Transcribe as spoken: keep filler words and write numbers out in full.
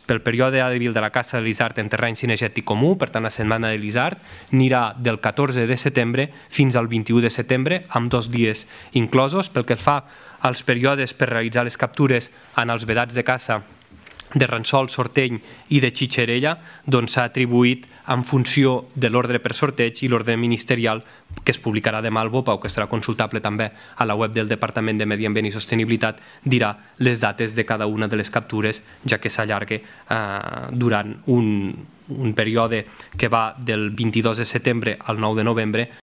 pel període hàbil de la caça de l'isard en terreny cinegètic comú, per tant la setmana de l'isard, anirà del catorze de setembre fins al vint-i-u de setembre, amb dos dies inclosos. Pel que fa als períodes per realitzar les captures en els vedats de caça de Ransol, Sorteny i de Xitxerella, doncs s'ha atribuït en funció de l'ordre per sorteig i l'ordre ministerial que es publicarà demà al BOPA o que serà consultable també a la web del Departament de Medi Ambient i Sostenibilitat, dirà les dates de cada una de les captures, ja que s'allarga eh, durant un, un període que va del vint-i-dos de setembre al nou de novembre.